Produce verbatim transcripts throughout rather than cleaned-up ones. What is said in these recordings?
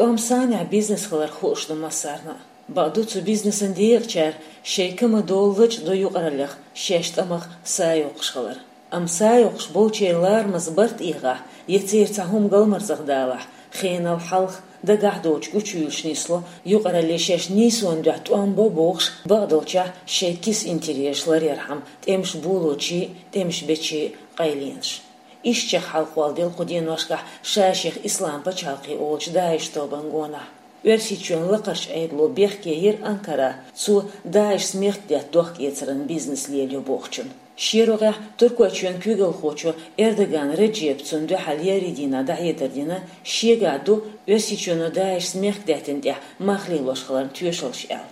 ТӀом санехь бизнес хилар хууш ду массарна а. Бакъду, цу бизнесан декъачара шайн кама долалуш ду юкъараллех шаьш тӀамах са йоккхуш хилар. Амма са йоккхуш болчеран ларамаза барт эгӀахь, я церан цхьа хӀума галмарзах далахь, хенал хьалха дагахь доцчу гучуюьйлуш нисло, юкъаралле шаьш нийсонан дуьхьа тӀом бо бохуш, бакъдолчехь шайн киса интересаш ларъярхьама тӀемаш болочийн, тӀемаш бечийн къайленаш. Ишттачех хьалхавала делла кху деношкахь ша-шех Ислам пачхьалкхе олучу ДАИШ тобан гонах. Оьрсийчоьнан Лакхарчу Ӏедало бехке йира Анкара, цо ДАИШ-ца мехкдаьтта дохка-эцаран бизнес лелайо бохучунна. Шен рогӀехь Туркойчоьнан куьйгалхочо Эрдоган Реджепа цунна дуьхьал еарин дийнахь дӀахьедар дина, шегахь ду Оьрсийчоьно ДАИШ-ца мехкдаьттина тӀехь мах лелош хиларна тоьшаллаш аьлла.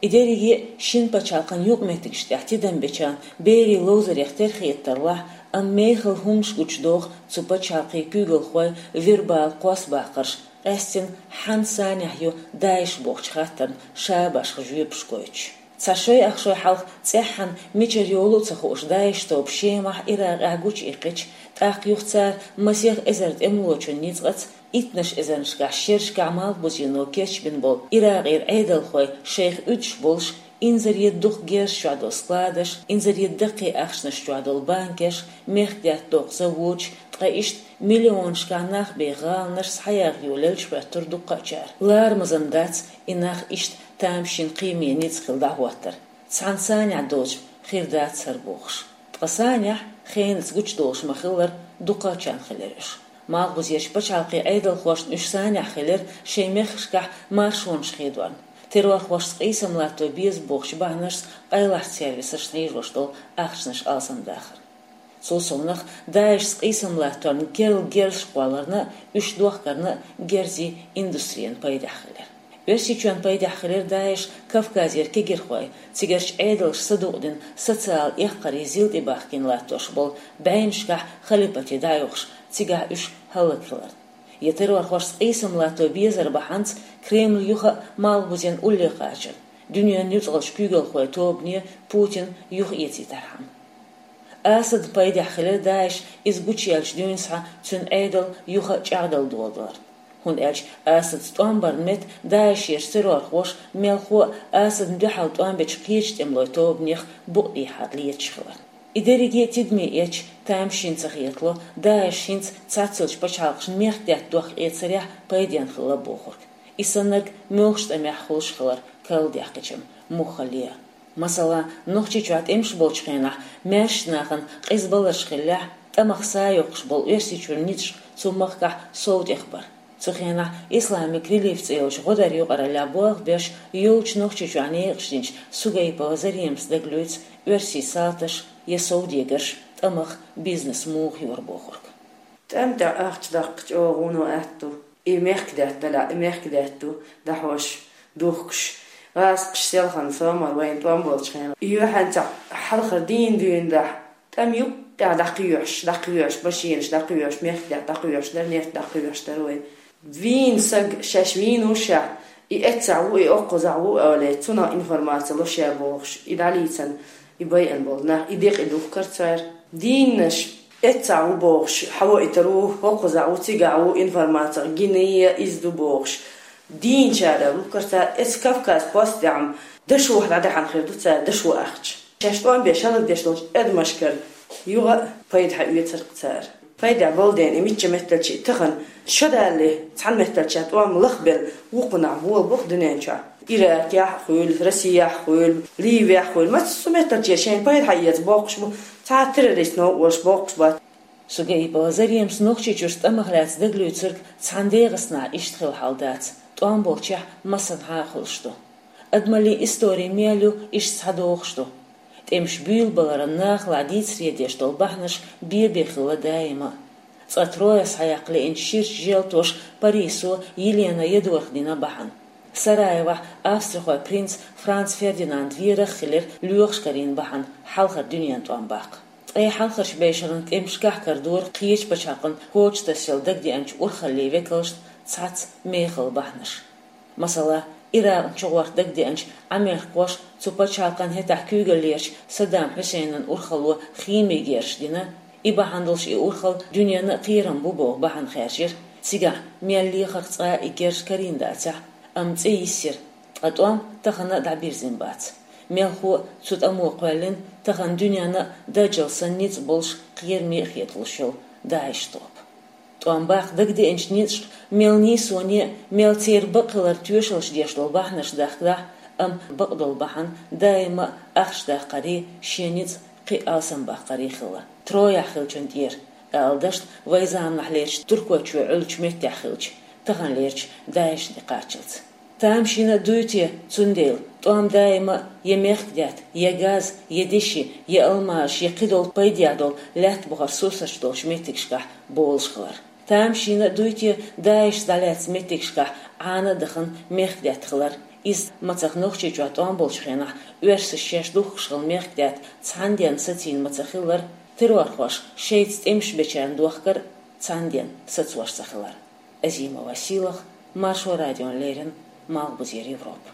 И дерриге а шина пачхьалкхан юкъаметтигаш тӀехь тидам бечарна берийн ловзарех тера хета тарлахь, амма мехала хӀуманаш гучудоху цу пачхьалкхийн куьйгалхой вербала кхоссабаккхарш, къаьстина хьанна санехь ю ДАИШ бохучу хаттарна шабашха жоьпаш гойтуш. Цхьа шой-ах шой хьалха цӀеххьана мичара йолу а ца хууш ДАИШ тоба Шемахь, Иракъехь гучуиккхича, тӀаккха юха цара масех эзар тӀемалочун ницкъаца, иттаннаш эзарнашкахь шерашкахь Малхбузено кечбина болу Иракъера Ӏедалхой шайх уьдуш болуш, инзаре дукха герзаш чохь долу складаш, инзаре даккхий ахчанаш чохь долу банкеш, мехкдаьтта доккху заводаш, ткъа иштта миллионашкахь нах бен гӀаланаш схьаягӀа йолаелча хӀоьттура дуккхачара. Ларамазан дац и нах иштта тамашийна кхиаме ницкъ хила дӀахӀоттар. Цхьана санехь доцуш хир дац хӀара бохуш. Ткъа санехь, хенаца гучудолуш ма-хиллара, дукхачарна хилира уьш. Малхбузерчу пачхьалкхийн Ӏедалхошна уьш санехь хилира шайн мехкашкахь маршонаш хедорна, террорхошца къийсам латто беза бохучу бахьанашца къайлахчу сервисашна хьийжош долу ахчанаш алсамдахарна. Цул совнаха, ДАИШ-ца къийсам латторна керла герзаш кхолларна а, уьш дохкарна а герзийн индустрина пайдехь хилира. Оьрсийчоьнан пайдехь хилира ДАИШ Кавказера кегирхой, цигарчу Ӏедалша садукъдина социалан эккхарийн зил тӀебахкийна латтош болу бӀеннашкахь халипате дӀаоьхуш, цигахь уьш хӀаллакхиларна. Я террорхошца къийсам латто безар бахьанца Кремль юха а Малхбузен улле кхачарна, дуьненан нуьцкъалчу куьйгалхойн тобане Путин юхаэцийтархьама. Асадан пайдехь хилира ДАИШ иза гучуяьллачу дуьйна схьа цуьнан Ӏедал юха а чӀагӀдала доладалар. ХӀунда аьлча Асадца тӀом барна метта ДАИШерчу террорхоша мелхо а Асадна дуьхьал тӀом бечу кхечу тӀемалойн тобанех букъ дехьа леташ хиларна. И дерриге а тидаме эцча, тамашийна ца хетало ДАИШ хӀинца цхьаццайолчу пачхьалкхашна мехкдаьтта дохка-эцарехь пайденна хилла бохург. И саннарг муьлххачу тӀамехь хуьлуш хилар карладаьккхича-м муххале а. Масала, Нохчийчохь тӀемаш болчу хенахь маьршачу нахана къиза баларш хиллехь, тӀамах са йоккхуш болу Оьрсийчуьра ницкъаш цу махкахь сов тӀехбара. Цу хенахь Исламик релиф цӀе йолчу гӀодаран юкъараллехь болх беш йолчу Нохчийчохь некъаш динчу Сугаипова Заремас дагалуьйцу оьрсийн салташ я совдегарш тӀамах бизнес муха йора бохург. ТӀам тӀехь ахча даккха чӀогӀа вуно аьтту. И мехкдаьтта далахь, и мехкдаьтта ду, дӀахьош, духкуш, гӀазкхаш селхана сомал вайна тӀом болчу хенахь. И юьхьанца хьалхара дийна дуьйна дахь, тӀам юккъехь дӀакхоьхьуш, дӀакхоьхьуш, машинаш дӀакхоьхьуш, мехкдаьтта дӀакхоьхьуш дара, нефть дӀакхоьхьуш дара вай. Вийна саг шаьш вийна ву шех, и эццахь ву, и оккхузахь ву олий, цунах информаци луш яр бохуш, и дӀалийцан, и байъан болу нах, и декъий духкар цара. Дийннаш эццахь ву бохуш, хьавойтар ву, оккхузахь ву, цигахь ву, информаци гина я иза ду бохуш. Дийначара лухкар цара, эцу Кавказ-Пост тӀехь-м дашохь дӀадаьхьна хир ду цара, дашо ахча. Шаьш тӀом беш хӀаллакдеш долчу адамашкара юха а пайда хьаоьцура цара. Пайда болу дела, и мичча метталчий тахана шо далале, цхьана метталча тӀом лахбелла, вукхунахь болабо-кх дуьнен чохь. Иракехь а хуьлу, Россехь а хуьлу, Ливехь а хуьлу, массо а метталче шайна пайда хьаэца боккхуш бу, цхьа а террорист новкъа волуш боккхуш бац. Сугаипова Заремас Нохчийчуьрчу тӀамах лаьцна дагалуьйцург цхьана ДегӀастанахь иштта хилла хьал дац, тӀом болчохь массанхьа а хуьлуш ду. Адамаллин истори мел ю иштта схьадохуш ду. ТӀемаш буьйлабаларан нахалахь дийцаре деш долу бахьанаш бен-бен хилла даима. Цкъа Троя схьаяккха лиъначу ширачу желтоша Парисо Елена Ядорх дина бахьана. Сараевохь австрихойн принц Франц Фердинанд верах а хилира лоьхуш карийна бахьана хьалхара дуьненан тӀом баккха. Ткъе хьалхарчу бешаран тӀемашкахь карадора кхечу пачхьалкхан коча тасъяла дагадеанчу урхаллийн векалшна цхьацца мехала бахьанаш. Масала, Иракъна чугӀорта дагадеанчу Ӏамеркхоша цу пачхьалкхан хӀетахь куьйгаллерчу Саддам Хьусейнан урхалло химин герзаш дина, и бахьана долуш и урхалла дуьненна а кхерам бу боху бахьана хаьржира. Цигахь мел лехарх цкъа а и герз карийна дацахь, амма цӀе йисира, ткъа тӀом тахана а дӀабирзина бац. Мелхо а цу тӀамо кхоьллина, тахана дуьненна а даджал санна ницкъ болуш кхераме а хеталуш йолу ДАИШ топ. ТӀом баккха дагадеанчу ницкъашка мел нийсоне а, мел церан бакъ хилар тоьшаллаш деш долу бахьанаш дахкадахь, амма бакъдолу бахьана даима а ахча даккхарий, шен ницкъ кхин а алсамбаккхарий хилла. Трояхь хиллачун тӀера, ала дашна, вайн заманахь лерчу Туркойчоь Ӏуьллучу меттехь хиллачу, тахана лерчу ДАИШ-де кхаччалц. Тамашийна а дуй те, цундела тӀом даима а я мехкдаьтта, я газ, я деши, я алмазаш, я кхидолу пайдехь долу лаьтта бухара сурсаташ долчу меттигашкахь болуш хилар. Тамашийна а дуй те, ДАИШ-ца дӀалаьцна меттигашкахь Ӏана а дахана мехкдаьтта хилар, иза мацах Нохчийчохь тӀом болчу хенахь оьрсаша шаьш духкуш хилла мехкдаьтта цхьана денна сацийна мацах хилар, террорхоша шайца тӀемаш бечарна дохкар цхьана денна сацош ца хилар. Азимова Сийлаха, Маршо радиона леррина, Малхбузера Европа.